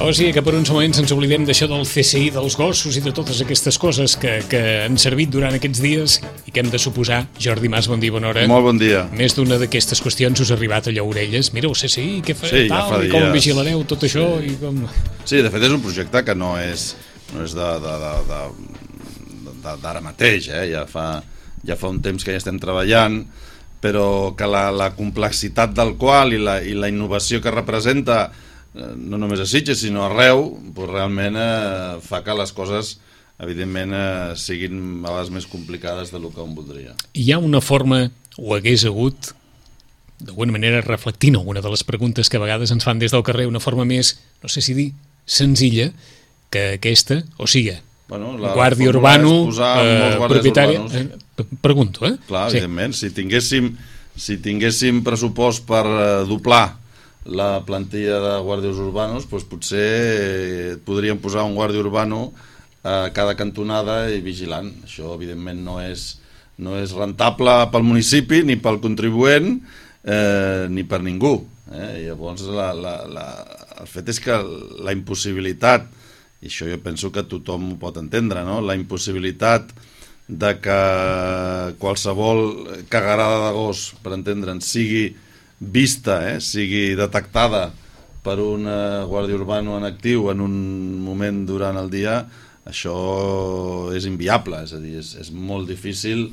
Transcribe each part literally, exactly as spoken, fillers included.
O sigui que per uns moments ens oblidem d'això del C S I, dels gossos i de totes aquestes coses que, que han servit durant aquests dies i que hem de suposar. Jordi Mas, bon dia, bona hora. Molt bon dia. Més d'una d'aquestes qüestions us ha arribat allò a orelles. Mireu, C S I, què fa, sí, tal, ja fa i com dies. vigilareu tot això sí. i com... Sí, de fet és un projecte que no és, no és de, de, de, de, de, d'ara mateix, eh? ja, fa, ja fa un temps que ja estem treballant, però que la, la complexitat del qual i la, i la innovació que representa, no només a Sitges sinó arreu, doncs realment eh, fa que les coses evidentment eh, siguin a les més complicades del que un voldria. Hi ha una forma, o hagués hagut, d'alguna manera reflectint alguna de les preguntes que a vegades ens fan des del carrer, una forma més, no sé si dir, senzilla que aquesta, o sigui, bueno, la guàrdia urbano, eh, propietari... Eh, pregunto, eh? Clar, sí. Evidentment, si tinguéssim, si tinguéssim pressupost per eh, doblar la plantilla de guàrdies urbanos, doncs potser podríem posar un guàrdia urbano a cada cantonada i vigilant. Això evidentment no és, no és rentable pel municipi ni pel contribuent eh, ni per ningú, eh? Llavors la, la, la, el fet és que la impossibilitat, i això jo penso que tothom ho pot entendre, no? La impossibilitat de que qualsevol cagarada de gos, per entendre'ns, sigui vista, eh, sigui detectada per un eh, guàrdia urbano en actiu en un moment durant el dia, això és inviable, és a dir, és, és molt difícil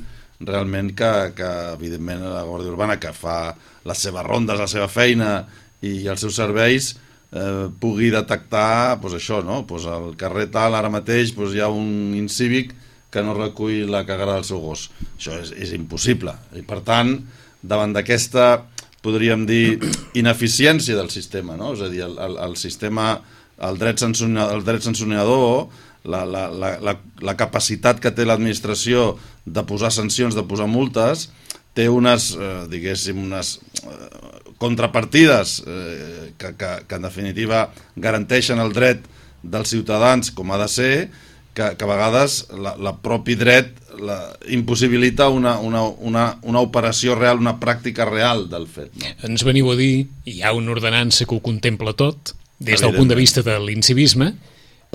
realment que, que evidentment la guàrdia urbana, que fa les seves rondes, la seva feina i els seus serveis, eh, pugui detectar pues, això, no? Pues al carrer tal ara mateix pues, hi ha un incívic que no recull la cagada del seu gos. Això és, és impossible, i per tant davant d'aquesta, podríem dir, ineficiència del sistema, no? És a dir, el, el, el sistema, el dret sancionador, el dret sancionador la, la, la, la, la capacitat que té l'administració de posar sancions, de posar multes, té unes, eh, diguéssim, unes eh, contrapartides eh, que, que, que en definitiva garanteixen el dret dels ciutadans com ha de ser, que, que a vegades la, la propi dret la, impossibilita una, una, una, una operació real, una pràctica real del fet. No? Ens veniu a dir, hi ha una ordenança que ho contempla tot, des del punt de vista de l'incivisme,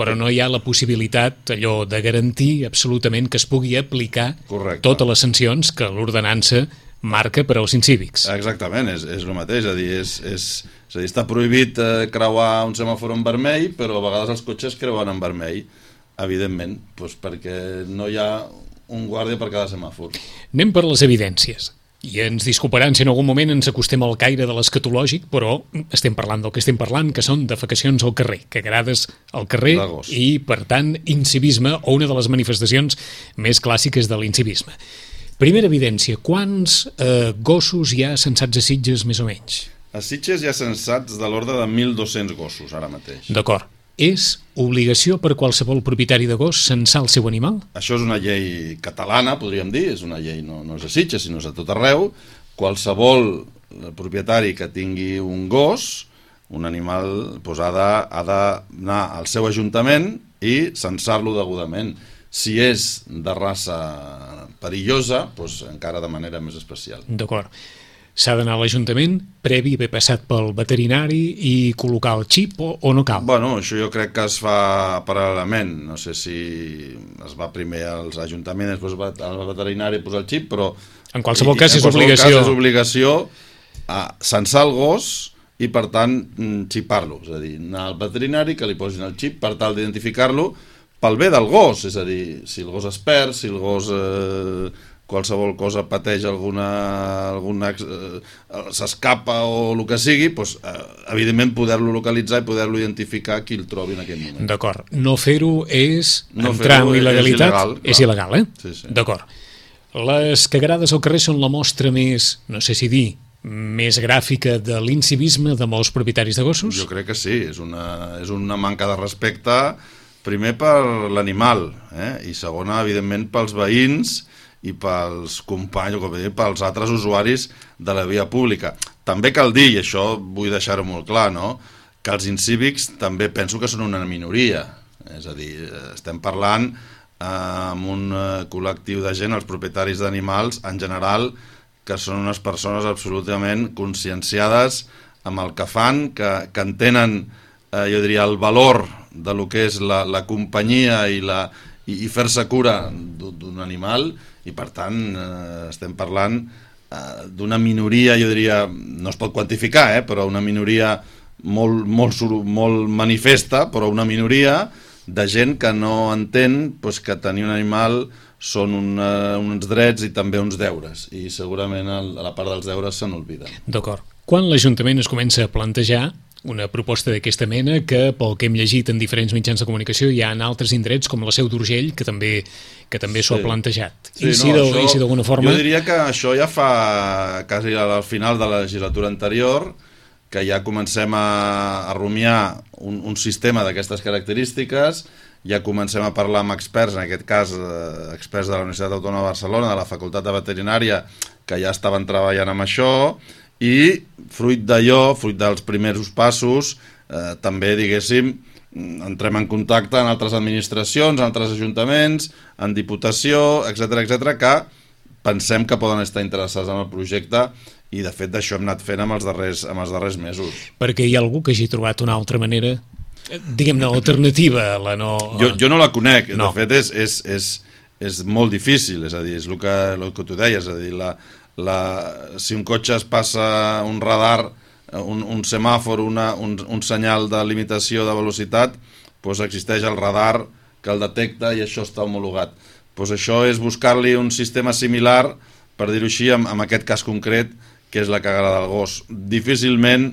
però no hi ha la possibilitat allò de garantir absolutament que es pugui aplicar Correcte. Totes les sancions que l'ordenança marca per als incívics. Exactament, és, és el mateix, és a dir, és, és, és a dir, està prohibit eh, creuar un semàfor en vermell, però a vegades els cotxes creuen en vermell, evidentment, doncs perquè no hi ha un guàrdia per cada semàfor. Anem per les evidències. I ens disculparan si en algun moment ens acostem al caire de l'escatològic, però estem parlant del que estem parlant, que són defecacions al carrer, cagarades al carrer i, per tant, incivisme, o una de les manifestacions més clàssiques de l'incivisme. Primera evidència, quants eh, gossos hi ha censats a Sitges, més o menys? A Sitges hi ha censats de l'ordre de mil dos-cents gossos, ara mateix. D'acord. És obligació per qualsevol propietari de gos censar el seu animal? Això és una llei catalana, podríem dir, és una llei no, no és a Sitges, sinó és a tot arreu. Qualsevol propietari que tingui un gos, un animal, doncs ha de, ha d'anar al seu ajuntament i censar-lo degudament. Si és de raça perillosa, doncs encara de manera més especial. D'acord. S'ha d'anar a l'Ajuntament, previ haver passat pel veterinari i col·locar el xip o, o no cal? Bueno, això jo crec que es fa paral·lelament. No sé si es va primer als ajuntaments, després va al veterinari posar el xip, però... En qualsevol i, cas en és qualsevol obligació. Cas és obligació a censar el gos i, per tant, xipar-lo. És a dir, anar al veterinari, que li posin el xip per tal d'identificar-lo pel bé del gos. És a dir, si el gos es perd, si el gos... Eh, qualsevol cosa pateix alguna, alguna eh, s'escapa o el que sigui, doncs, eh, evidentment poder-lo localitzar i poder-lo identificar qui el trobi en aquell moment. D'acord. No fer-ho és no entrar en il·legalitat? És il·legal, és il·legal, eh? Sí, sí. D'acord. Les cagarades al carrer són la mostra més, no sé si dir, més gràfica de l'incivisme de molts propietaris de gossos? Jo crec que sí. És una, és una manca de respecte, primer per l'animal, eh? I segona, evidentment, pels veïns i pels companys, com dir, pels altres usuaris de la via pública. També cal dir, i això vull deixar-ho molt clar, no?, que els incívics també penso que són una minoria. És a dir, estem parlant eh, amb un col·lectiu de gent, els propietaris d'animals, en general, que són unes persones absolutament conscienciades amb el que fan, que, que entenen eh, jo diria, el valor de lo que és la, la companyia i, la, i, i fer-se cura d'un animal, i per tant eh, estem parlant eh, d'una minoria, jo diria, no es pot quantificar, eh, però una minoria molt, molt, molt manifesta, però una minoria de gent que no entén pues, que tenir un animal són una, uns drets i també uns deures, i segurament a la part dels deures se n'olviden. D'acord. Quan l'Ajuntament es comença a plantejar una proposta d'aquesta mena, que pel que hem llegit en diferents mitjans de comunicació hi ha en altres indrets com la Seu d'Urgell que també, que també s'ho sí. ha plantejat. Sí, I si no, d'alguna forma... Jo diria que això ja fa quasi al final de la legislatura anterior, que ja comencem a, a rumiar un, un sistema d'aquestes característiques, ja comencem a parlar amb experts, en aquest cas eh, experts de la Universitat Autònoma de Barcelona, de la Facultat de Veterinària, que ja estaven treballant amb això, i fruit d'allò, fruit dels primers passos, eh, també, diguéssim, entrem en contacte en altres administracions, en altres ajuntaments, en Diputació, etcètera, etcètera, que pensem que poden estar interessats en el projecte, i de fet d'això hem anat fent amb els darrers, amb els darrers mesos. Perquè hi ha algú que hagi trobat una altra manera, diguem-ne, alternativa a la no... Jo, jo no la conec, no. De fet és, és, és, és molt difícil, és a dir, és el que, el que tu deies, és a dir, la, la, si un cotxe es passa un radar, un, un semàfor, una, un, un senyal de limitació de velocitat, doncs existeix el radar que el detecta i això està homologat. Doncs això és buscar-li un sistema similar, per dir-ho així, en, en aquest cas concret, que és la cagada del gos. Difícilment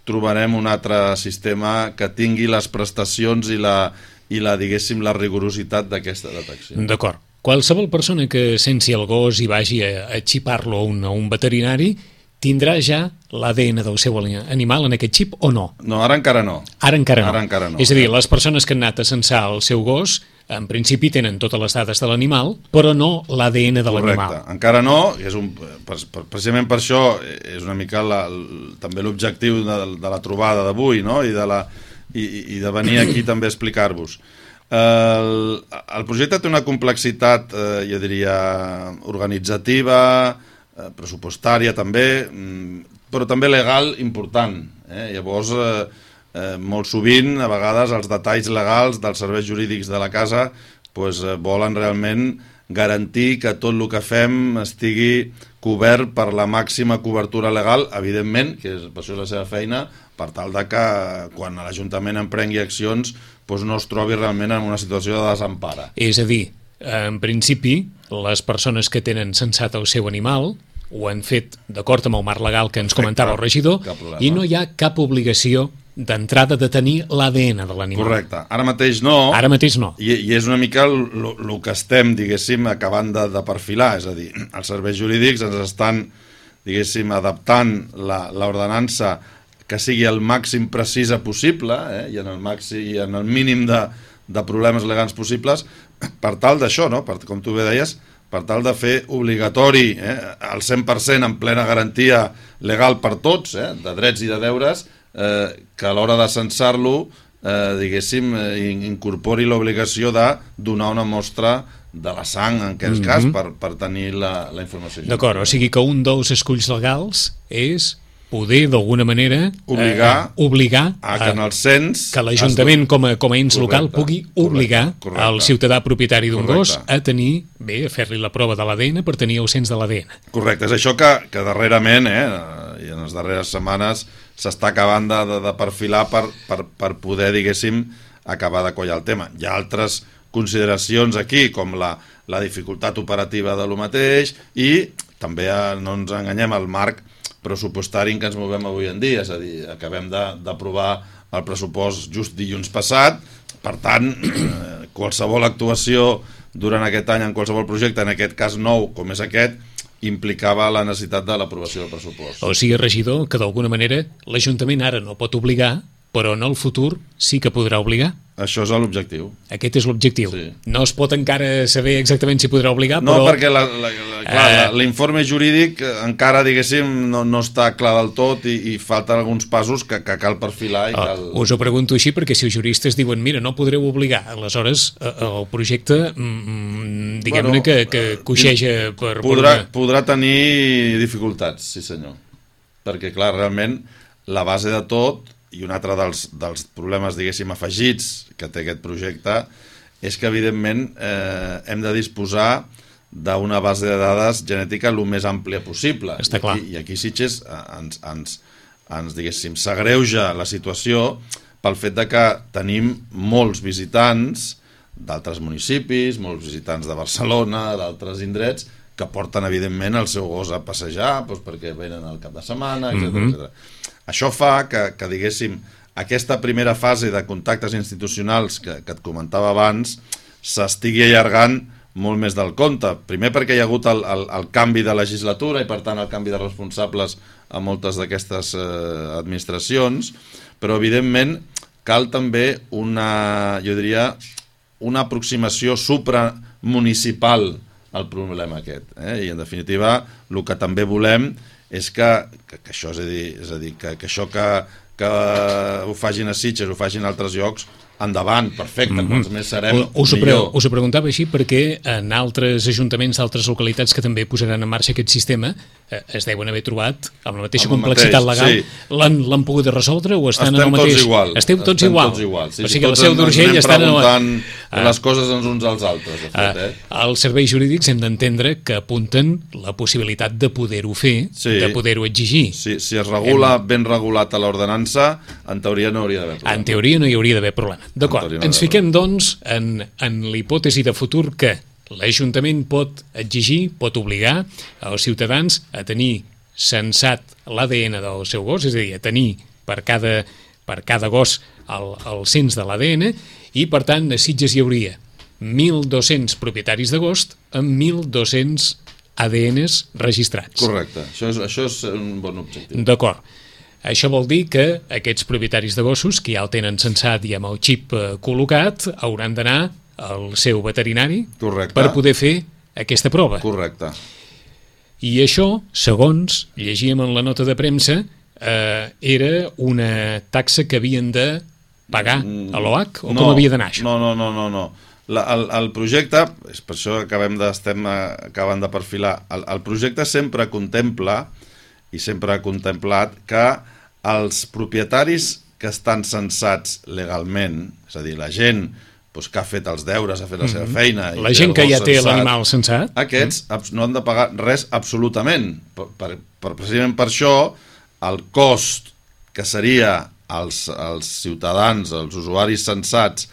trobarem un altre sistema que tingui les prestacions i la, i la diguéssim, la rigorositat d'aquesta detecció. D'acord. Qualsevol persona que sensi el gos i vagi a, a xipar-lo a un, a un veterinari tindrà ja l'A D N del seu animal en aquest xip o no? No, ara encara no. Ara encara no. Ara encara no. És a dir, les persones que han anat a censar el seu gos en principi tenen totes les dades de l'animal, però no l'A D N de l'animal. Correcte, encara no, és un, per, per, precisament per això és una mica la, el, també l'objectiu de, de la trobada d'avui, no? I, de la, i, i de venir aquí també a explicar-vos. El, el projecte té una complexitat, eh, jo diria, organitzativa, eh, pressupostària també, però també legal important. Eh? Llavors... Eh, Eh, molt sovint, a vegades, els detalls legals dels serveis jurídics de la casa pues, eh, volen realment garantir que tot el que fem estigui cobert per la màxima cobertura legal, evidentment, que és, per això és la seva feina, per tal de que quan l'Ajuntament emprengui accions pues, no es trobi realment en una situació de desempara. És a dir, en principi, les persones que tenen censat el seu animal ho han fet d'acord amb el marc legal que ens comentava el regidor i no hi ha cap obligació d'entrada de tenir l'A D N de l'animal. Correcte. Ara mateix no. Ara mateix no. I, i és una mica el que estem, diguéssim, acabant de, de perfilar. És a dir, els serveis jurídics ens estan, diguéssim, adaptant l'ordenança que sigui el màxim precisa possible eh, i, en el màxim, i en el mínim de, de problemes legals possibles per tal d'això, no? Per, com tu bé deies, per tal de fer obligatori eh, el cent per cent en plena garantia legal per tots, eh, de drets i de deures, Eh, que a l'hora de censar-lo eh, diguéssim, eh, incorpori l'obligació de donar una mostra de la sang, en aquest mm-hmm. cas, per, per tenir la, la informació. D'acord, o sigui que un dels esculls legals és poder, d'alguna manera, obligar, eh, obligar a que en el cens... Que l'Ajuntament, com a, com a ens local, pugui obligar correcte, correcte, el ciutadà propietari d'un gos a tenir, bé, a fer-li la prova de l'A D N per tenir el cens de l'A D N. Correcte, és això que, que darrerament, eh, i en les darreres setmanes, s'està acabant de, de, de perfilar per, per, per poder, diguéssim, acabar de collar el tema. Hi ha altres consideracions aquí, com la, la dificultat operativa de lo mateix i també, no ens enganyem, el marc pressupostari en què ens movem avui en dia, és a dir, acabem d'aprovar el pressupost just dilluns passat, per tant, eh, qualsevol actuació durant aquest any en qualsevol projecte, en aquest cas nou com és aquest, implicava la necessitat de l'aprovació del pressupost. O sigui, regidor, que d'alguna manera l'Ajuntament ara no pot obligar, però en el futur sí que podrà obligar. Això és l'objectiu. Aquest és l'objectiu. Sí. No es pot encara saber exactament si podrà obligar, no, però... No, perquè la, la, la, clar, uh... l'informe jurídic encara, diguéssim, no, no està clar del tot i, i falten alguns passos que, que cal perfilar. I uh, cal... Us ho pregunto així perquè si els juristes diuen mira, no podreu obligar, aleshores el projecte, mm, diguem-ne bueno, que, que coixeja per... Podrà, per una... podrà tenir dificultats, sí senyor. Perquè, clar, realment, la base de tot i un altre dels, dels problemes, diguéssim, afegits que té aquest projecte és que, evidentment, eh, hem de disposar d'una base de dades genètica el més àmplia possible. Està clar. I aquí, i aquí Sitges ens, ens, ens diguéssim, s'agreuja la situació pel fet de que tenim molts visitants d'altres municipis, molts visitants de Barcelona, d'altres indrets, que porten, evidentment, el seu gos a passejar, doncs, perquè venen al cap de setmana, etcètera, mm-hmm. etcètera. Això fa que, que, diguéssim, aquesta primera fase de contactes institucionals que, que et comentava abans s'estigui allargant molt més del compte. Primer perquè hi ha hagut el, el, el canvi de legislatura i, per tant, el canvi de responsables a moltes d'aquestes eh, administracions, però, evidentment, cal també una, jo diria, una aproximació supramunicipal al problema aquest. Eh? I, en definitiva, el que també volem és que, que, que això, és a dir, és a dir que, que això que, que ho facin a Sitges, ho facin a altres llocs, endavant, perfecte, mm-hmm. quants més serem, us ho millor. Us ho preguntava així perquè en altres ajuntaments d'altres localitats que també posaran en marxa aquest sistema eh, es deuen haver trobat amb la mateixa amb complexitat mateix, legal, sí. l'han pogut resoldre o estan estem en el mateix... Tots igual. Esteu tots estem igual. Tots igual. Sí, o sigui, la Seu d'Urgell estan... preguntant ah. les coses els uns als altres. De fet, eh? ah, els serveis jurídics hem d'entendre que apunten la possibilitat de poder-ho fer, sí. de poder-ho exigir. Sí, si es regula hem... ben regulat a l'ordenança, en teoria no hauria d'haver problema. En teoria no hi hauria d'haver problema. D'acord, ens fiquem, doncs, en, en l'hipòtesi de futur que l'Ajuntament pot exigir, pot obligar els ciutadans a tenir censat l'A D N del seu gos, és a dir, a tenir per cada, per cada gos el, el cens de l'A D N, i, per tant, a Sitges hi hauria mil dos-cents propietaris de gos amb mil dos-cents A D Ns registrats. Correcte, això és, això és un bon objectiu. D'acord. Això vol dir que aquests propietaris de gossos, que ja el tenen censat i amb el xip eh, col·locat, hauran d'anar al seu veterinari Correcte. Per poder fer aquesta prova. Correcte. I això, segons llegíem en la nota de premsa, eh, era una taxa que havien de pagar a l'O H o no, com havia d'anar això? No, no, no, no, no. La, el, el projecte, és per això que acabem de, estem acabant de perfilar, el, el projecte sempre contempla i sempre ha contemplat que els propietaris que estan censats legalment, és a dir, la gent doncs, que ha fet els deures, ha fet la seva feina... La gent que ja té l'animal censat... Aquests mm. no han de pagar res absolutament. Per, per, per, precisament per això, el cost que seria als, als ciutadans, als usuaris censats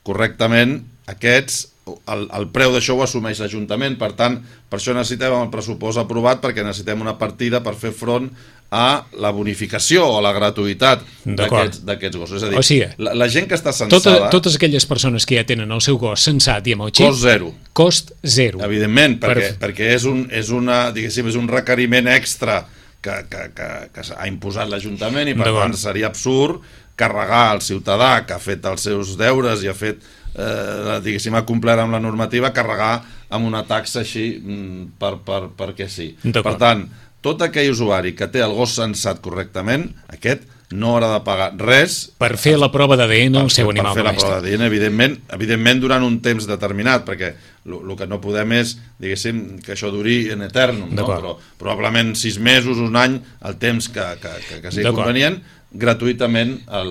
correctament, aquests... El, el preu d'això ho assumeix l'Ajuntament, per tant, per això necessitem el pressupost aprovat, perquè necessitem una partida per fer front a la bonificació o a la gratuïtat d'aquests gossos. És a dir, o sigui, la, la gent que està censada... Tota, totes aquelles persones que ja tenen el seu gos censat i amb el xip... Cost zero. Cost zero. Evidentment, perquè, per... perquè és, un, és, una, diguéssim, és un requeriment extra que, que, que, que ha imposat l'Ajuntament i, per tant, seria absurd carregar al ciutadà que ha fet els seus deures i ha fet... Eh, diguéssim, ha complert amb la normativa, carregar amb una taxa així per, per, perquè sí. Per tant, tot aquell usuari que té el gos censat correctament, aquest no haurà de pagar res per fer la prova d'A D N al seu animal domèstic. Per fer la prova d'A D N, evidentment, evidentment durant un temps determinat, perquè el que no podem és, diguéssim, que això duri en eternum, no? Però probablement sis mesos, un any, el temps que, que, que, que sigui convenient, gratuïtament al,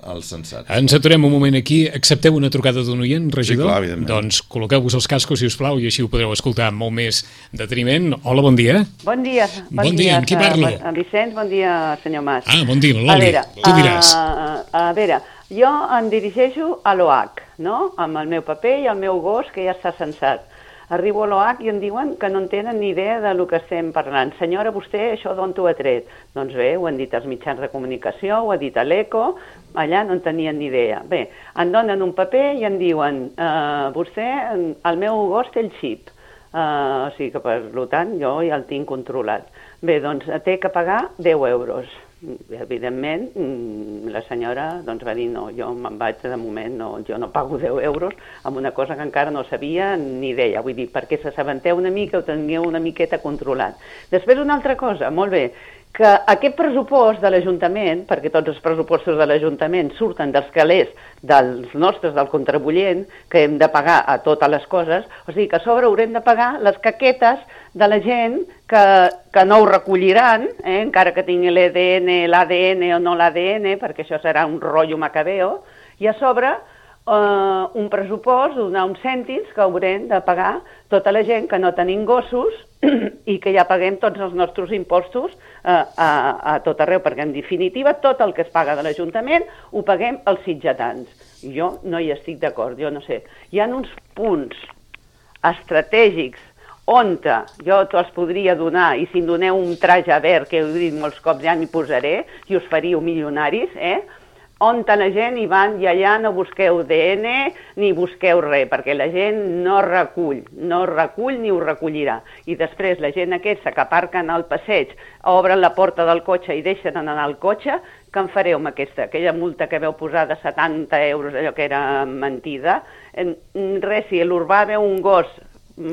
al censat. Ens aturem un moment aquí. Accepteu una trucada d'un oient, regidor? Sí, clar, evidentment. Doncs col·loqueu-vos els cascos, si us plau, i així ho podreu escoltar amb molt més deteniment. Hola, bon dia. Bon dia. Bon, bon dia, amb qui parlo? A Vicenç, bon dia, senyor Mas. Ah, bon dia, Loli, tu diràs. A, a veure, jo em dirigeixo a l'O H, no?, amb el meu paper i el meu gos, que ja està censat. Arribo a l'O H i em diuen que no en tenen ni idea de lo que estem parlant. Senyora, vostè això d'on t'ho ha tret? Doncs bé, ho han dit als mitjans de comunicació, ho ha dit a l'Eco, allà no en tenien ni idea. Bé, em donen un paper i em diuen eh, vostè, el meu gos té el xip, eh, o sigui que per tant jo ja el tinc controlat. Bé, doncs té que pagar deu euros. Evidentment, la senyora doncs, va dir no, jo me'n vaig de moment, no, jo no pago deu euros amb una cosa que encara no sabia ni idea, vull dir, perquè s'assabenteu una mica, ho tingueu una miqueta controlat. Després una altra cosa, molt bé, que aquest pressupost de l'Ajuntament, perquè tots els pressupostos de l'Ajuntament surten dels calés dels nostres, del contribuent, que hem de pagar a totes les coses, o sigui que a sobre haurem de pagar les caquetes de la gent que, que no ho recolliran, eh, encara que tingui l'E D N, l'A D N o no l'A D N, perquè això serà un rotllo macabeo, i a sobre Uh, un pressupost, donar uns cèntims que haurem de pagar tota la gent que no tenim gossos i que ja paguem tots els nostres impostos uh, a, a tot arreu, perquè en definitiva tot el que es paga de l'Ajuntament ho paguem els sitgetans. Jo no hi estic d'acord, jo no sé. Hi ha uns punts estratègics on jo te'ls podria donar, i si em doneu un traje verd, que heu dit molts cops, ja m'hi posaré, i us faríeu milionaris, eh? On la gent hi van i allà no busqueu D N ni busqueu res, perquè la gent no recull, no recull ni ho recollirà. I després la gent aquesta que aparquen al passeig, obren la porta del cotxe i deixen anar al cotxe, què en fareu amb aquesta? Aquella multa que veu posar de setanta euros, allò que era mentida. Res, si l'urbà veu un gos,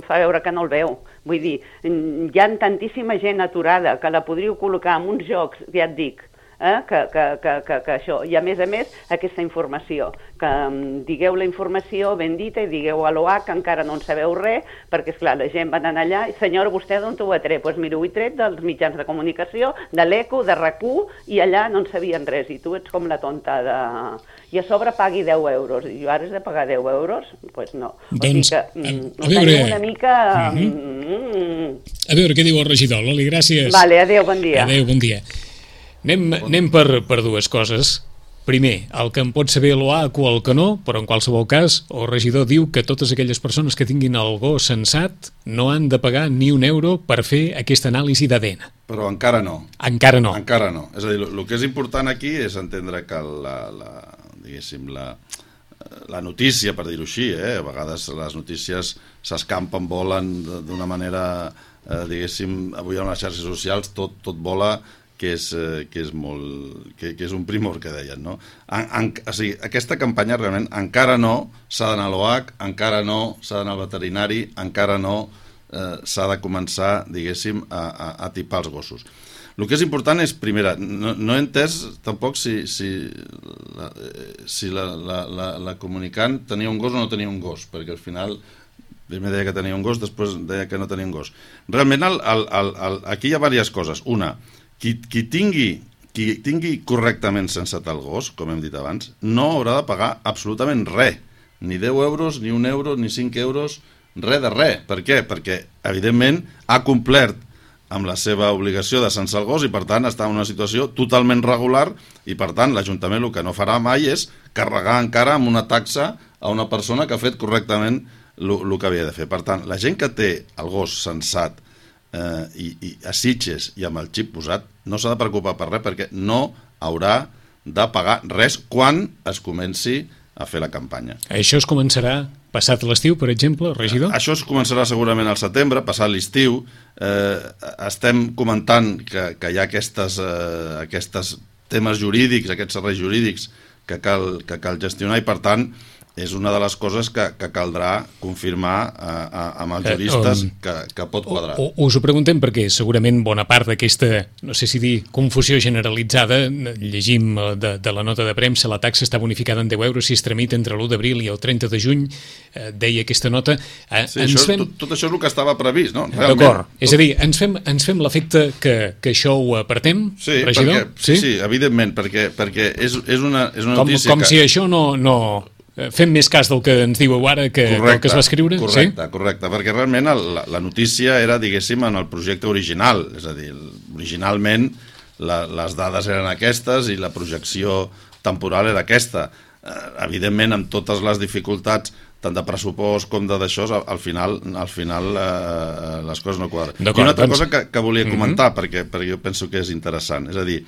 fa veure que no el veu. Vull dir, hi ha tantíssima gent aturada que la podríeu col·locar en uns jocs, ja et dic, Eh, que, que, que, que, que això, i a més a més aquesta informació, que um, digueu la informació ben dita i digueu a l'O H que encara no en sabeu res, perquè esclar, la gent va anar allà i senyora, vostè d'on ho ha tret? Doncs pues mira, ho he tret dels mitjans de comunicació, de l'Eco, de RAC u, i allà no en sabien res, i tu ets com la tonta de... I a sobre pagui deu euros, i jo ara has de pagar deu euros? Doncs pues no. Doncs, o sigui que, a, a veure... una mica... Mm-hmm. Mm, a veure què diu el regidor, Loli, gràcies. Vale, adéu, bon dia. Adéu, bon dia. Anem, anem per, per dues coses. Primer, el que en pot saber l'O H o el que no, però en qualsevol cas el regidor diu que totes aquelles persones que tinguin el gos sensat no han de pagar ni un euro per fer aquesta anàlisi d'A D N. Però encara no. Encara no. Encara no. És a dir, el que és important aquí és entendre que la, la, diguéssim, la, la notícia, per dir-ho així, eh? A vegades les notícies s'escampen, volen d'una manera, eh, diguéssim, avui a les xarxes socials tot, tot vola, que és, eh, que és molt que, que és un primor que deien, no? En, en, o sigui, aquesta campanya realment encara no s'ha d'anar a l'O H, encara no s'ha d'anar al veterinari, encara no eh, s'ha de començar, diguéssim, a, a, a tipar els gossos. El que és important és, primera, no, no he entès tampoc si, si, la, si la, la, la, la comunicant tenia un gos o no tenia un gos, perquè al final primer deia que tenia un gos, després deia que no tenia un gos. Realment el, el, el, el, aquí hi ha diverses coses. Una, Qui, qui, tingui, qui tingui correctament sensat el gos, com hem dit abans, no haurà de pagar absolutament res. Ni deu euros, ni un euro, ni cinc euros, res de res. Per què? Perquè, evidentment, ha complert amb la seva obligació de censar el gos i, per tant, està en una situació totalment regular i, per tant, l'Ajuntament el que no farà mai és carregar encara amb una taxa a una persona que ha fet correctament el que havia de fer. Per tant, la gent que té el gos sensat Eh, i, i a Sitges i amb el xip posat no s'ha de preocupar per res perquè no haurà de pagar res quan es comenci a fer la campanya. Això es començarà passat l'estiu, per exemple, regidor? Eh, això es començarà segurament al setembre, passat l'estiu. Eh, estem comentant que, que hi ha aquestes, eh, aquestes temes jurídics, aquests serveis jurídics que cal, que cal gestionar i, per tant, és una de les coses que, que caldrà confirmar a, a, amb els juristes que, que pot quadrar. O, o, us ho preguntem perquè segurament bona part d'aquesta, no sé si dir, confusió generalitzada, llegim de, de la nota de premsa, la taxa està bonificada en deu euros si es tramita entre l'u d'abril i el trenta de juny, eh, deia aquesta nota. Eh, sí, això, fem... tot, tot això és el que estava previst, no? D'acord, tot... és a dir, ens fem, ens fem l'efecte que, que això ho apartem, sí, regidor? Perquè, sí, sí, evidentment, perquè, perquè és, és, una, és una com, notícia com que... si això no... no... Fem més cas del que ens diu ara que, correcte, que es va escriure? Correcte, sí? correcte, perquè realment el, la, la notícia era, diguéssim, en el projecte original, és a dir, originalment la, les dades eren aquestes i la projecció temporal era aquesta. Eh, evidentment, amb totes les dificultats, tant de pressupost com de d'això, al, al final, al final eh, les coses no quadren. I una altra doncs... cosa que, que volia comentar, mm-hmm. perquè, perquè jo penso que és interessant, és a dir,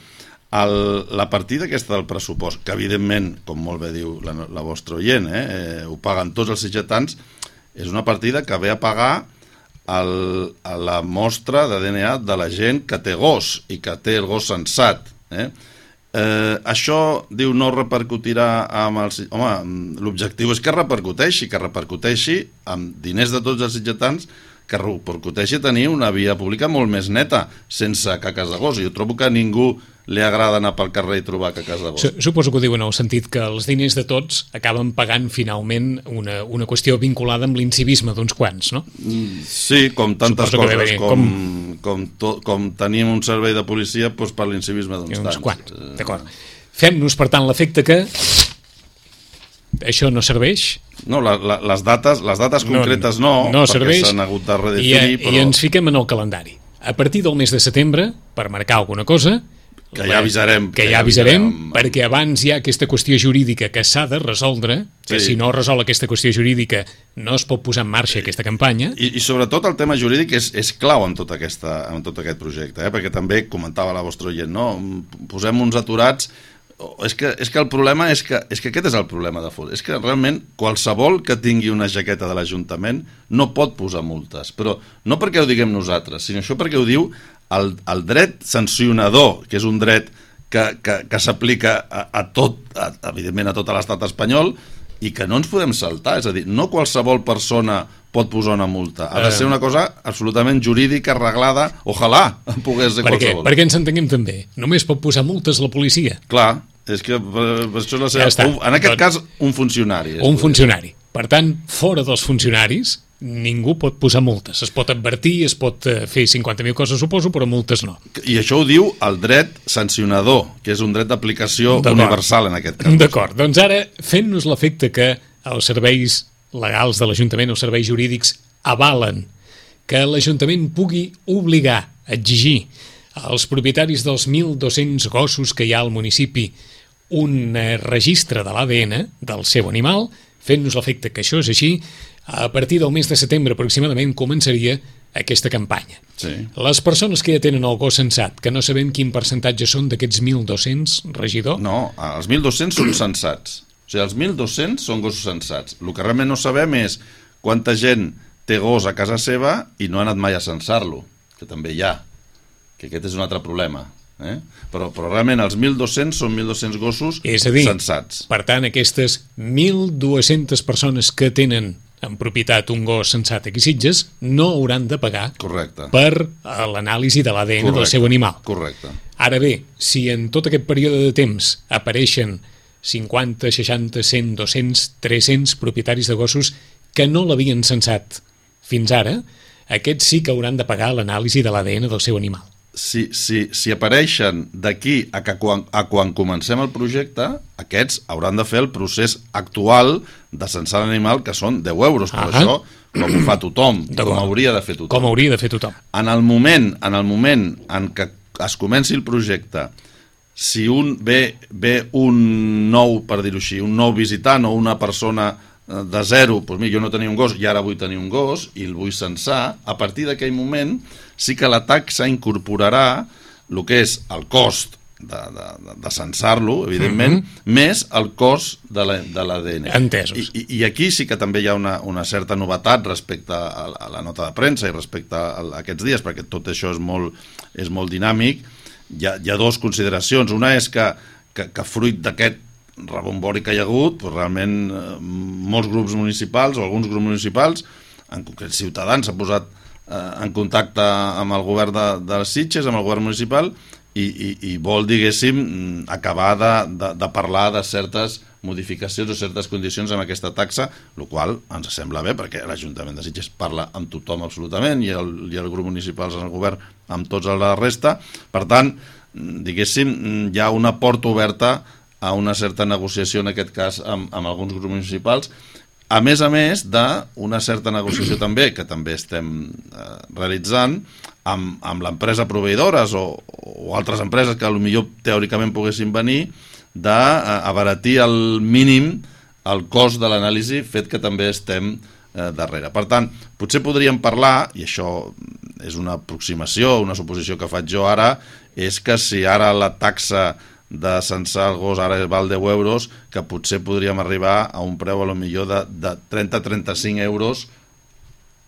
El, la partida aquesta del pressupost, que evidentment, com molt bé diu la, la vostra oient, eh, eh, ho paguen tots els sitgetans, és una partida que ve a pagar el, a la mostra de D N A de la gent que té gos i que té el gos sensat. Eh? Eh, això, diu, no repercutirà amb els... Home, l'objectiu és que repercuteixi, que repercuteixi amb diners de tots els sitgetans que repercuteixi tenir una via pública molt més neta, sense caques de gos. Jo trobo que a ningú li agrada anar pel carrer i trobar caques de gos. Suposo que ho diuen en el sentit que els diners de tots acaben pagant finalment una, una qüestió vinculada amb l'incivisme d'uns quants, no? Sí, com tantes Suposo coses, que com, com... Com, to, com tenim un servei de policia doncs per l'incivisme d'uns tants. Quants, d'acord. Fem-nos, per tant, l'efecte que això no serveix. No, la, la, les dates les dates concretes no, no, no perquè s'han hagut de redefinir. I, però... I ens fiquem en el calendari. A partir del mes de setembre, per marcar alguna cosa, que ja avisarem, que, que ja avisarem, avisarem perquè abans hi ha aquesta qüestió jurídica que s'ha de resoldre, que sí. Si no resol aquesta qüestió jurídica no es pot posar en marxa aquesta campanya. I, i sobretot el tema jurídic és, és clau en tot, aquesta, en tot aquest projecte, eh? Perquè també comentava la vostra oient, no? Posem uns aturats. És que, és que el problema és que, és que aquest és el problema de fons. És que realment qualsevol que tingui una jaqueta de l'Ajuntament no pot posar multes, però no perquè ho diguem nosaltres, sinó això perquè ho diu el, el dret sancionador, que és un dret que, que, que s'aplica a, a tot, a, evidentment a tot l'estat espanyol, i que no ens podem saltar. És a dir, no qualsevol persona pot posar una multa. Ha de ser una cosa absolutament jurídica, arreglada. Ojalà pogués ser per qualsevol. Què? Perquè ens entenguem també. Només pot posar multes la policia. Clar, és que per, per això és la seva... Ja en aquest cas, un funcionari. Un funcionari. Per tant, fora dels funcionaris, ningú pot posar multes. Es pot advertir, es pot fer cinquanta mil coses, suposo, però multes no. I això ho diu el dret sancionador, que és un dret d'aplicació universal en aquest cas. D'acord, doncs ara, fent-nos l'efecte que els serveis legals de l'Ajuntament, els serveis jurídics, avalen que l'Ajuntament pugui obligar, exigir als propietaris dels mil dos-cents gossos que hi ha al municipi un registre de l'A D N del seu animal, fent-nos l'efecte que això és així, a partir del mes de setembre aproximadament començaria aquesta campanya. Sí. Les persones que ja tenen el gos censat, que no sabem quin percentatge són d'aquests mil dos-cents, regidor? No, els mil dos-cents són censats. O sigui, els mil dos-cents són gossos censats. El que realment no sabem és quanta gent té gos a casa seva i no ha anat mai a censar-lo, que també hi ha, que aquest és un altre problema. Eh? Però, però realment els mil dos-cents són mil dos-cents gossos és a dir, censats. Per tant, aquestes mil dues-centes persones que tenen en propietat un gos censat aquí a Sitges no hauran de pagar Correcte. Per l'anàlisi de l'A D N del seu animal. Correcte. Ara bé, si en tot aquest període de temps apareixen cinquanta, seixanta, cent, dos-cents, tres-cents propietaris de gossos que no l'havien censat fins ara, aquests sí que hauran de pagar l'anàlisi de l'A D N del seu animal. Si, si, si apareixen d'aquí a, que quan, a quan comencem el projecte, aquests hauran de fer el procés actual de censar l'animal, que són deu euros, però ah això com ho fa tothom, com hauria de fer tothom. Com hauria de fer tothom. En el moment en, el moment en què es comenci el projecte, si un ve, ve un nou, per dir-ho així, un nou visitant o una persona de zero, doncs mira, jo no tenia un gos i ara vull tenir un gos i el vull censar, a partir d'aquell moment sí que la taxa incorporarà el que és el cost de, de, de censar-lo, evidentment, mm-hmm. més el cost de l'A D N. Entesos. I, I aquí sí que també hi ha una, una certa novetat respecte a, a la nota de premsa i respecte a, a aquests dies, perquè tot això és molt, és molt dinàmic. Hi ha, hi ha dues consideracions. Una és que, que, que fruit d'aquest rebombori que hi ha hagut, doncs realment eh, molts grups municipals o alguns grups municipals, en concret Ciutadans, s'ha posat eh, en contacte amb el govern de, de les Sitges, amb el govern municipal, i, i, i vol, diguéssim, acabar de, de, de parlar de certes modificacions o certes condicions amb aquesta taxa, el qual ens sembla bé, perquè l'Ajuntament de Sitges parla amb tothom absolutament, i el, i el grup municipal en el govern amb tots la resta. Per tant, diguéssim, hi ha una porta oberta a una certa negociació, en aquest cas, amb, amb alguns grups municipals, a més a més d'una certa negociació també, que també estem eh, realitzant, amb, amb l'empresa proveïdores o, o altres empreses que potser teòricament poguessin venir, d'abaratir al mínim el cost de l'anàlisi, fet que també estem eh, darrere. Per tant, potser podríem parlar, i això és una aproximació, una suposició que faig jo ara, és que si ara la taxa de censar el gos ara val deu euros, que potser podríem arribar a un preu a lo millor de, de trenta a trenta-cinc euros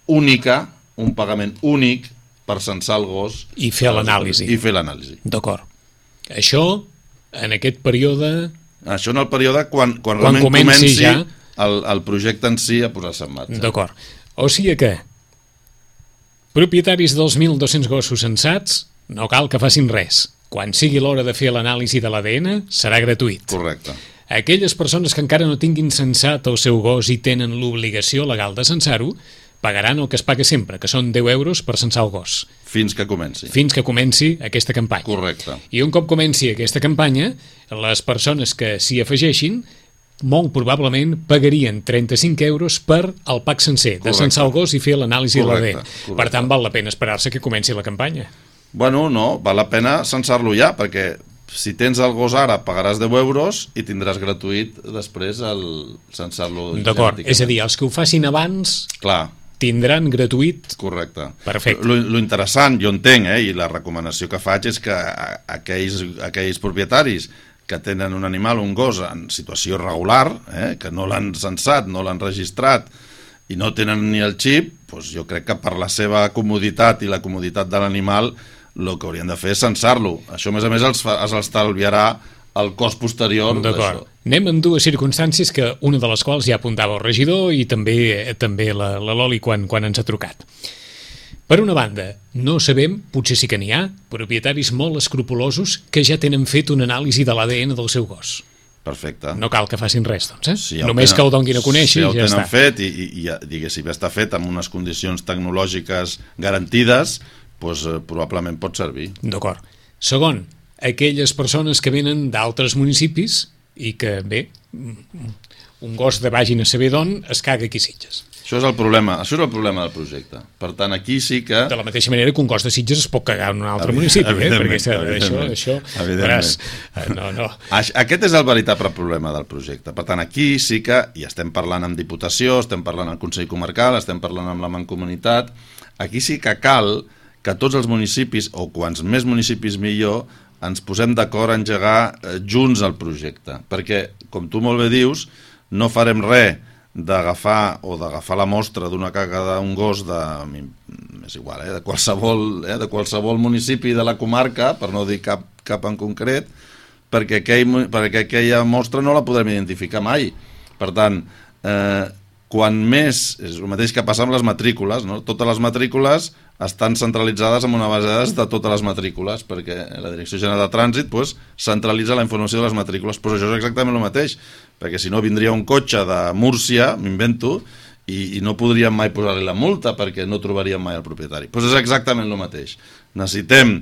única, un pagament únic per censar el gos i fer l'anàlisi. I fer l'anàlisi. D'acord. Això en aquest període... Això en el període quan, quan, quan realment comenci, comenci ja... el, el projecte en si a posar-se en marxa. D'acord. O sigui que Propietaris dels mil dos-cents gossos censats, no cal que facin res. Quan sigui l'hora de fer l'anàlisi de l'A D N, serà gratuït. Correcte. Aquelles persones que encara no tinguin censat el seu gos i tenen l'obligació legal de censar-ho, pagaran el que es paga sempre, que són deu euros per censar el gos. Fins que comenci. Fins que comenci aquesta campanya. Correcte. I un cop comenci aquesta campanya, les persones que s'hi afegeixin, molt probablement pagarien trenta-cinc euros per al pack sencer, de censar el gos i fer l'anàlisi de l'A D N. Per tant, val la pena esperar-se que comenci la campanya. Bueno, no, val la pena censar-lo ja, perquè si tens el gos ara pagaràs deu euros i tindràs gratuït després el censar-lo genèticament. D'acord, és a dir, els que ho facin abans... Clar. Tindran gratuït... Correcte. Perfecte. Lo, lo interessant, jo entenc, eh, i la recomanació que faig és que aquells, aquells propietaris que tenen un animal, un gos, en situació regular, eh, que no l'han censat, no l'han registrat i no tenen ni el xip, doncs jo crec que per la seva comoditat i la comoditat de l'animal el que haurien de fer és censar-lo. Això, a més a més, els, els estalviarà el cost posterior d'això. Anem amb dues circumstàncies, que una de les quals ja apuntava el regidor i també també la, la Loli quan, quan ens ha trucat. Per una banda, no sabem, potser sí que n'hi ha, propietaris molt escrupulosos que ja tenen fet una anàlisi de l'A D N del seu gos. Perfecte. No cal que facin res, doncs, eh? Si ja Només tenen, que el donguin a conèixer si ja i ja està. Si està. ho tenen fet i, i, i diguéssim, ja està fet amb unes condicions tecnològiques garantides, doncs eh, probablement pot servir. D'acord. Segon, aquelles persones que venen d'altres municipis i que, bé, un gos de vagin a saber d'on es caga aquí a Sitges. Això és el problema, això és el problema del projecte. Per tant, aquí sí que... De la mateixa manera que un gos de Sitges es pot cagar en un altre municipi, eh? Perquè això, això veràs, no, no. Aquest és el veritable problema del projecte. Per tant, aquí sí que, i estem parlant amb Diputació, estem parlant amb Consell Comarcal, estem parlant amb la Mancomunitat, aquí sí que cal que tots els municipis, o quants més municipis millor, ens posem d'acord a engegar junts el projecte. Perquè, com tu molt bé dius, no farem res d'agafar o d'agafar la mostra d'una caga d'un gos de, és igual, eh, de, qualsevol, eh, de qualsevol municipi de la comarca, per no dir cap, cap en concret, perquè, aquell, perquè aquella mostra no la podrem identificar mai. Per tant, eh, quan més, és el mateix que passa amb les matrícules, no? Totes les matrícules estan centralitzades en una base de dades de totes les matrícules, perquè la Direcció General de Trànsit pues, centralitza la informació de les matrícules, però això és exactament el mateix, perquè si no vindria un cotxe de Múrcia, m'invento, i, i no podríem mai posar-li la multa perquè no trobaríem mai el propietari. Pues és exactament el mateix. Necessitem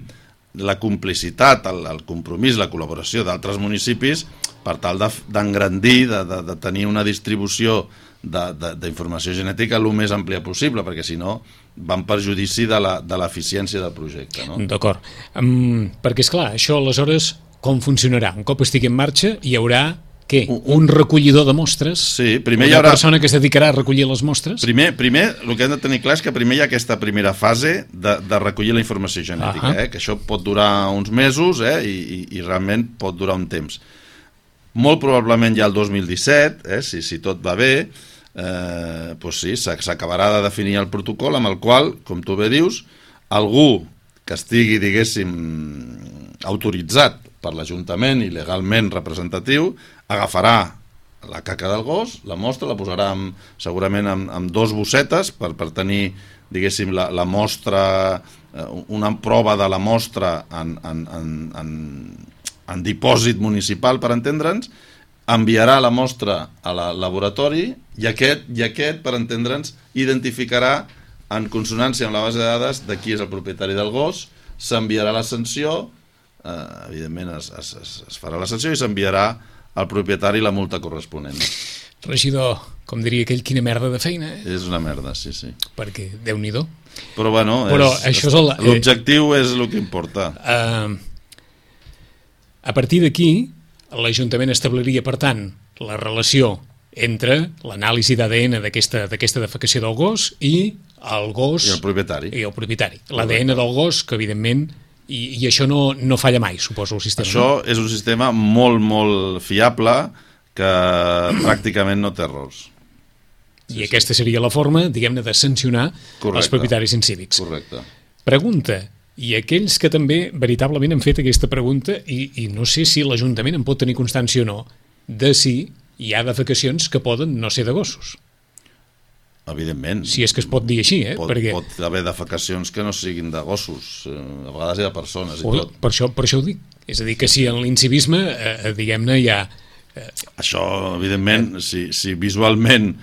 la complicitat, el, el compromís, la col·laboració d'altres municipis per tal d'engrandir, de, de, de tenir una distribució d'informació genètica el més àmplia possible, perquè si no van per judici de l'eficiència del projecte. No? D'acord. Um, perquè, esclar, això aleshores com funcionarà? Un cop estigui en marxa hi haurà, què? Un, un recollidor de mostres? Sí, primer una hi haurà... persona que es dedicarà a recollir les mostres? Primer, primer, el que hem de tenir clar és que primer hi ha aquesta primera fase de, de recollir la informació genètica, uh -huh. eh? Que això pot durar uns mesos eh? I, i, i realment pot durar un temps. Molt probablement ja el dos mil disset, eh? si, si tot va bé, eh, doncs sí, s'acabarà de definir el protocol amb el qual, com tu bé dius, algú que estigui, diguéssim, autoritzat per l'Ajuntament i legalment representatiu, agafarà la caca del gos, la mostra, la posarà amb, segurament amb, amb dos bossetes per, per tenir, diguéssim, la, la mostra, una prova de la mostra en, en, en, en, en dipòsit municipal, per entendre'ns, enviarà la mostra a la laboratori i aquest, i aquest per entendre'ns, identificarà en consonància amb la base de dades de qui és el propietari del gos, s'enviarà la sanció, eh, evidentment es, es, es farà la sanció i s'enviarà al propietari la multa corresponent. Regidor, com diria aquell, quina merda de feina. Eh? És una merda, sí, sí. Perquè, Déu-n'hi-do. Però, bueno, Però l'objectiu és el que importa. Uh, a partir d'aquí, l'Ajuntament establiria, per tant, la relació entre l'anàlisi d'A D N d'aquesta defecació del gos i el gos... I el propietari. I el propietari. L'A D N del gos, que evidentment... I, i això no, no falla mai, suposo, el sistema. Això no? És un sistema molt, molt fiable que pràcticament no té errors. I sí, aquesta seria la forma, diguem-ne, de sancionar Correcte. Els propietaris incívics. Correcte. Pregunta, i aquells que també veritablement han fet aquesta pregunta, i, i no sé si l'Ajuntament en pot tenir constància o no, de si hi ha defecacions que poden no ser de gossos. Evidentment. Si és que es pot dir així, eh? Pot, Perquè... pot haver defecacions que no siguin de gossos, a vegades hi ha persones i o, tot. Per això, per això ho dic. És a dir, que si en l'incivisme, eh, diguem-ne, hi ha... Eh... Això, evidentment, si, si visualment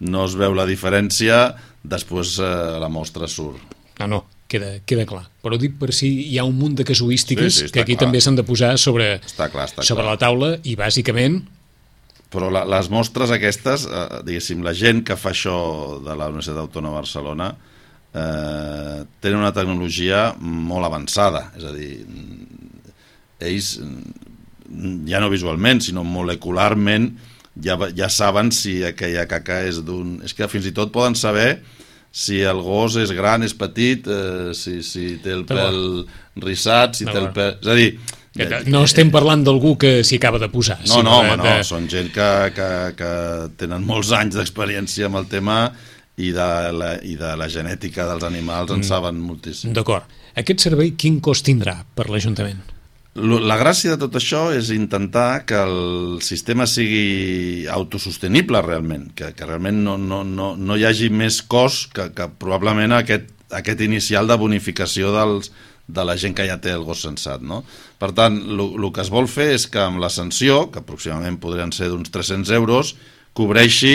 no es veu la diferència, després eh, la mostra surt. No, no, queda, queda clar. Però dic per si hi ha un munt de casuístiques sí, sí, que aquí clar. també s'han de posar sobre, està clar, està sobre clar. la taula i, bàsicament... Però la, les mostres aquestes, eh, diguéssim, la gent que fa això de la Universitat Autònoma de Barcelona eh, tenen una tecnologia molt avançada, és a dir, ells ja no visualment, sinó molecularment ja, ja saben si aquella caca és d'un... És que fins i tot poden saber si el gos és gran, és petit, eh, si, si té el pèl rissat, si té el pèl... És a dir... No estem parlant d'algú que s'hi acaba de posar. No, no, home, no, són gent que, que, que tenen molts anys d'experiència amb el tema i de la, i de la genètica dels animals en saben moltíssim. D'acord. Aquest servei quin cost tindrà per l'Ajuntament? La gràcia de tot això és intentar que el sistema sigui autosostenible realment, que, que realment no, no, no, no hi hagi més cost que, que probablement aquest, aquest inicial de bonificació dels de la gent que ja té el gos censat, no? Per tant, el que es vol fer és que amb la sanció, que aproximadament podrien ser d'uns tres-cents euros, cobreixi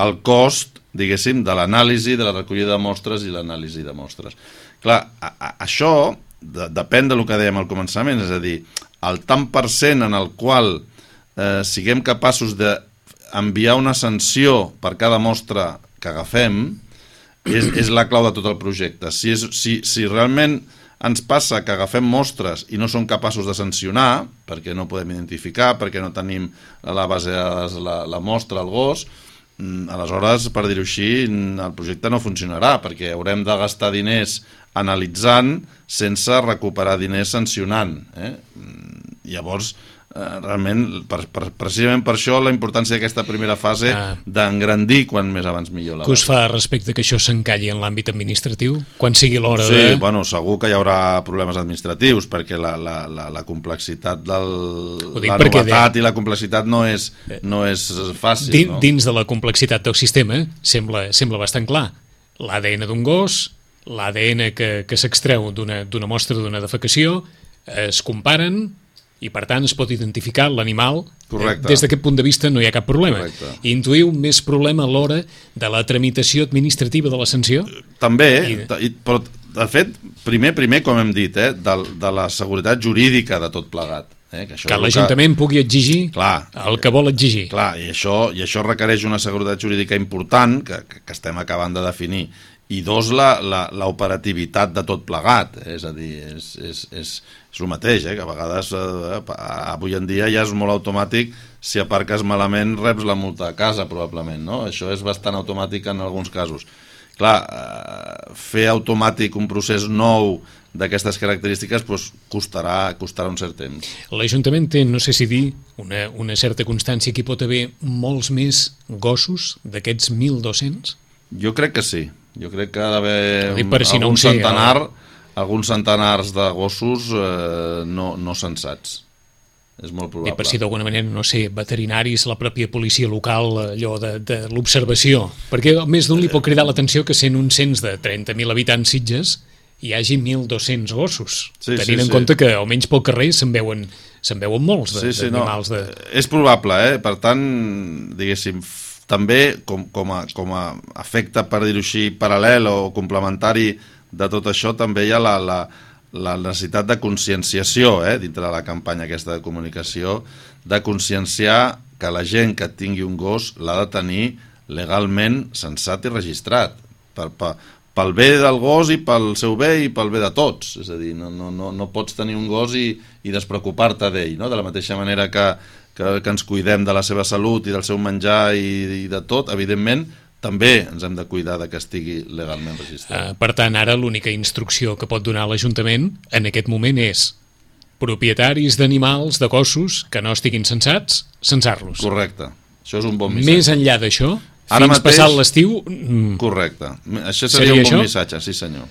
el cost, diguéssim, de l'anàlisi, de la recollida de mostres i l'anàlisi de mostres. Clar, a, a, això de, depèn del que dèiem al començament, és a dir, el tant per cent en el qual eh, siguem capaços d'enviar una sanció per cada mostra que agafem és, és la clau de tot el projecte. Si, és, si, si realment ens passa que agafem mostres i no som capaços de sancionar, perquè no podem identificar, perquè no tenim la base de la, la mostra, el gos, aleshores, per dir-ho així, el projecte no funcionarà, perquè haurem de gastar diners analitzant sense recuperar diners sancionant. Eh? Llavors, eh, realment, per, per, precisament per això la importància d'aquesta primera fase ah. d'engrandir quan més abans millor. Què us fa respecte que això s'encalli en l'àmbit administratiu? Quan sigui l'hora sí, de... Sí, bueno, segur que hi haurà problemes administratius, perquè la, la, la, la complexitat del... La novetat de... i la complexitat no és, no és fàcil. Din, no? Dins de la complexitat del sistema sembla, sembla bastant clar. L'A D N d'un gos, l'A D N que, que s'extreu d'una mostra d'una defecació, es comparen... i per tant es pot identificar l'animal. Correcte. Des d'aquest punt de vista no hi ha cap problema. Correcte. Intuïu més problema a l'hora de la tramitació administrativa de la sanció? També, I... però de fet, primer, primer com hem dit, eh, de, de la seguretat jurídica de tot plegat. Eh, que això que l'Ajuntament que... pugui exigir clar, el que vol exigir. Clar, i això, i això requereix una seguretat jurídica important, que, que estem acabant de definir, i dos, l'operativitat de tot plegat, eh? És a dir, és, és, és, és el mateix, eh? Que a vegades, eh, avui en dia ja és molt automàtic, si aparques malament reps la multa a casa, probablement, no? Això és bastant automàtic en alguns casos. Clar, eh, fer automàtic un procés nou d'aquestes característiques doncs, costarà, costarà un cert temps. L'Ajuntament té, no sé si dir, una, una certa constància que hi pot haver molts més gossos d'aquests mil dos-cents? Jo crec que sí. Jo crec que ha d'haver si algun, no sé, centenar, el... alguns centenars de gossos eh, no, no censats. És molt probable. I per si d'alguna manera, no sé, veterinaris, la pròpia policia local, allò de, de l'observació. Perquè més d'un li pot cridar l'atenció que sent un cens de trenta mil habitants Sitges hi hagi mil dos-cents gossos. Sí, tenint sí, en sí. compte que almenys pel carrer se'n veuen, se'n veuen molts sí, sí, d'animals. No. De... És probable, eh? Per tant, diguéssim, també com, com, a, com a efecte, per dir-ho així, paral·lel o complementari de tot això, també hi ha la, la, la necessitat de conscienciació, eh, dintre de la campanya aquesta de comunicació, de conscienciar que la gent que tingui un gos l'ha de tenir legalment censat i registrat, per, per, pel bé del gos i pel seu bé i pel bé de tots. És a dir, no, no, no, no pots tenir un gos i, i despreocupar-te d'ell, no? De la mateixa manera que Que, que ens cuidem de la seva salut i del seu menjar i, i de tot, evidentment, també ens hem de cuidar de que estigui legalment registrat. Uh, per tant, ara l'única instrucció que pot donar l'Ajuntament en aquest moment és propietaris d'animals, de gossos, que no estiguin censats, censar-los. Correcte. Això és un bon missatge. Més enllà d'això, ara fins mateix, passat l'estiu... Correcte. Això seria, seria un bon això? missatge, sí senyor.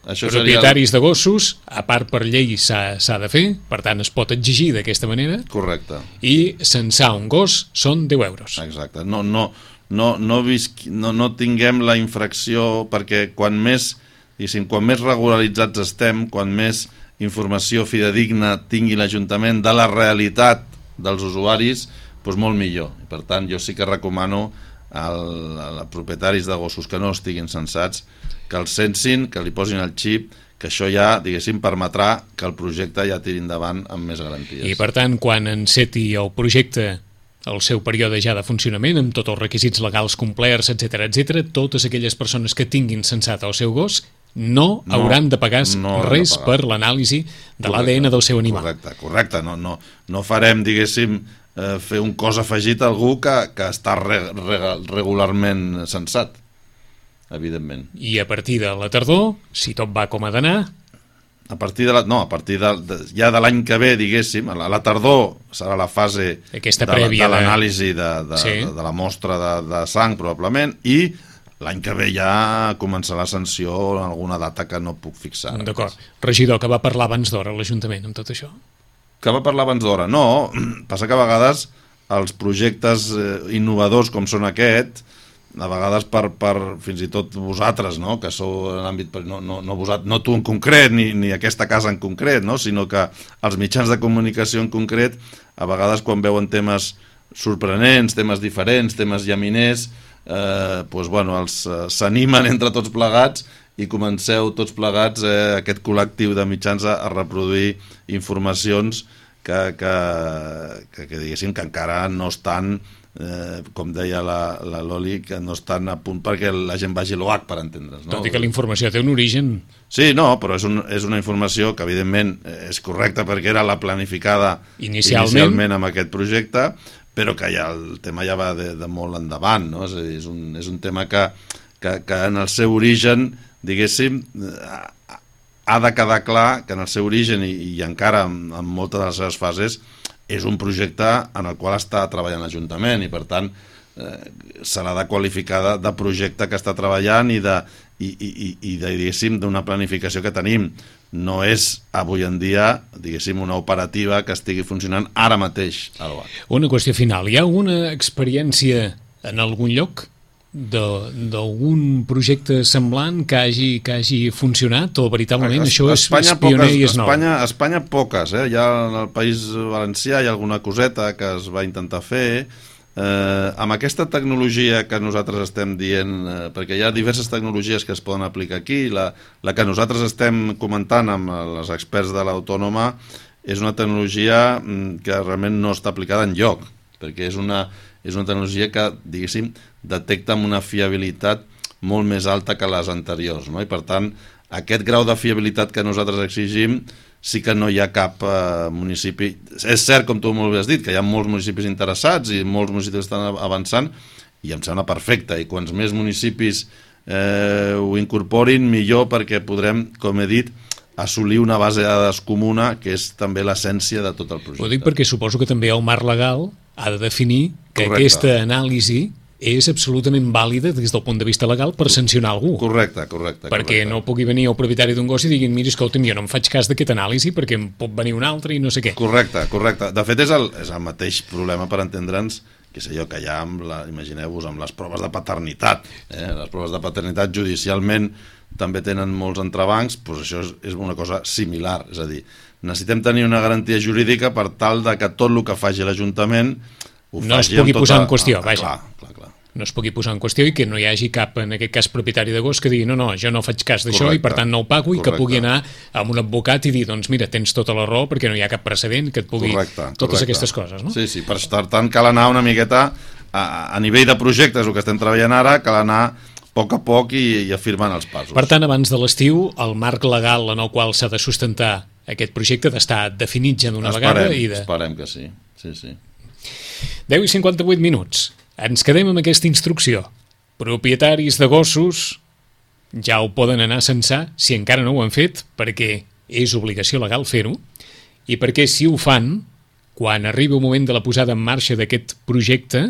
Això propietaris seria... de gossos, a part per llei s'ha de fer, per tant es pot exigir d'aquesta manera. Correcte. I censar un gos són deu euros. Exacte. No, no, no, no, visqui, no, no tinguem la infracció, perquè quan més, quan més regularitzats estem, quan més informació fidedigna tingui l'Ajuntament de la realitat dels usuaris, doncs molt millor. I per tant, jo sí que recomano als propietaris de gossos que no estiguin censats que els censin, que li posin el xip, que això ja, diguéssim, permetrà que el projecte ja tiri endavant amb més garanties. I per tant, quan enceti el projecte el seu període ja de funcionament, amb tots els requisits legals complerts, etcètera, etcètera, totes aquelles persones que tinguin censat el seu gos no, no hauran de pagar no res de pagar. Per l'anàlisi de l'A D N del seu animal. Correcte, correcte. No, no, no farem, diguéssim, eh, fer un cos afegit a algú que, que està re, re, regularment censat, evidentment. I a partir de la tardor, si tot va com ha d'anar... A partir de la, no, a partir de, de, ja de l'any que ve, diguéssim, a la, a la tardor serà la fase Aquesta de, de l'anàlisi de, de, sí. de, de la mostra de, de sang, probablement, i l'any que ve ja començarà la sanció en alguna data que no puc fixar. D'acord. Regidor, que va parlar abans d'hora a l'Ajuntament amb tot això? Que va parlar abans d'hora? No, passa que a vegades els projectes innovadors com són aquest, a vegades per, per fins i tot vosaltres, no? Que sou en l'àmbit, no, no, no, vosaltres, no tu en concret, ni, ni aquesta casa en concret, no? Sinó que els mitjans de comunicació en concret, a vegades quan veuen temes sorprenents, temes diferents, temes llaminers, eh, doncs, bueno, els s'animen entre tots plegats i comenceu tots plegats, eh, aquest col·lectiu de mitjans a, a reproduir informacions que, que, que, que diguéssim que encara no estan... Eh, com deia la, la Loli, que no estan a punt perquè la gent vagi a l'O H per entendre's. No? Tot i que la informació té un origen... Sí, no, però és, un, és una informació que evidentment és correcta perquè era la planificada inicialment, inicialment amb aquest projecte, però que ja el tema ja va de, de molt endavant, no? És a dir, és un, és un tema que, que, que en el seu origen, diguéssim, ha de quedar clar que en el seu origen i, i encara en, en moltes de les seves fases és un projecte en el qual està treballant l'Ajuntament i, per tant, eh, serà de qualificar de, de projecte que està treballant i, de, i, i, i de, diguéssim, d'una planificació que tenim. No és, avui en dia, diguéssim, una operativa que estigui funcionant ara mateix a l'O H. Una qüestió final. Hi ha una experiència en algun lloc d'algun projecte semblant que hagi, que hagi funcionat o veritablement a, això és, és pioner poques, i és nou? A Espanya, a Espanya poques, eh? Ja en el País Valencià hi ha alguna coseta que es va intentar fer. Eh, amb aquesta tecnologia que nosaltres estem dient, eh, perquè hi ha diverses tecnologies que es poden aplicar aquí, la, la que nosaltres estem comentant amb els experts de l'Autònoma és una tecnologia que realment no està aplicada enlloc, perquè és una, és una tecnologia que, diguéssim, detecta amb una fiabilitat molt més alta que les anteriors, no? I per tant, aquest grau de fiabilitat que nosaltres exigim sí que no hi ha cap eh, municipi. És cert, com tu molt bé has dit, que hi ha molts municipis interessats i molts municipis estan avançant i em sembla perfecte, i quants més municipis eh, ho incorporin millor, perquè podrem, com he dit, assolir una base de dades comuna, que és també l'essència de tot el projecte. Ho dic perquè suposo que també el marc legal ha de definir que Correcte. Aquesta anàlisi és absolutament vàlida des del punt de vista legal per sancionar algú. Correcte, correcte. Perquè correcte. No pugui venir el propietari d'un gos i diguin, mira, escolta'm, jo no em faig cas d'aquest anàlisi perquè em pot venir un altre i no sé què. Correcte, correcte. De fet, és el, és el mateix problema per entendre'ns, que sé jo, que hi ha, amb la, imagineu-vos, amb les proves de paternitat. Eh? Les proves de paternitat judicialment també tenen molts entrebancs, doncs això és, és una cosa similar. És a dir, necessitem tenir una garantia jurídica per tal de que tot el que faci l'Ajuntament ho no faci es pugui tota... posar en qüestió, ah, vaja. Clar, clar, clar. No es pugui posar en qüestió i que no hi hagi cap, en aquest cas, propietari de gos que digui, no, no, jo no faig cas d'això i per tant no ho pago, correcte. I que pugui anar amb un advocat i dir, doncs mira, tens tota la raó perquè no hi ha cap precedent que et pugui... Correcte, totes correcte. Aquestes coses, no? Sí, sí, per tant cal anar una miqueta a, a nivell de projectes, el que estem treballant ara, cal anar a poc a poc i, i afirmant els passos. Per tant, abans de l'estiu, el marc legal en el qual s'ha de sustentar aquest projecte d'estar definit ja d'una vegada i de... Esperem que sí, sí, sí. deu i cinquanta-vuit minuts. Ens quedem amb aquesta instrucció. Propietaris de gossos ja ho poden anar a censar si encara no ho han fet, perquè és obligació legal fer-ho, i perquè si ho fan, quan arribi el moment de la posada en marxa d'aquest projecte,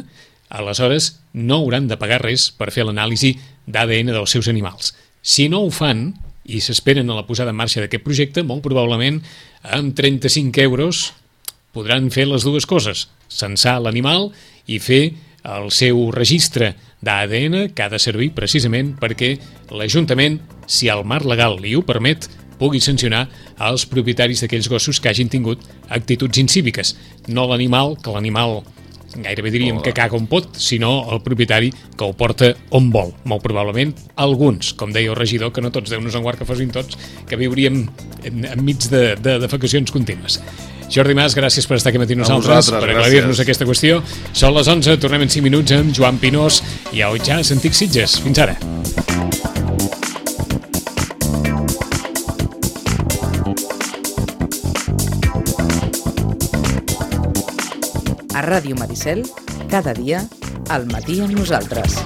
aleshores no hauran de pagar res per fer l'anàlisi d'A D N dels seus animals. Si no ho fan i s'esperen a la posada en marxa d'aquest projecte, molt probablement amb trenta-cinc euros podran fer les dues coses, censar l'animal i fer el seu registre d'A D N que ha de servir precisament perquè l'Ajuntament, si el marc legal li ho permet, pugui sancionar els propietaris d'aquells gossos que hagin tingut actituds incíviques. No l'animal, que l'animal gairebé diríem que caga on pot, sinó el propietari que ho porta on vol. Molt probablement alguns, com deia el regidor, que no tots, Déu nos en guard que fossin tots, que viuríem enmig de, de defecacions contínues. Jordi Mas, gràcies per estar aquí amb nosaltres, per aclarir-nos aquesta qüestió. Són les onze, tornem en cinc minuts amb Joan Pinós i a Otjàs, Antic Sitges. Fins ara. A Ràdio Maricel, cada dia, al matí amb nosaltres.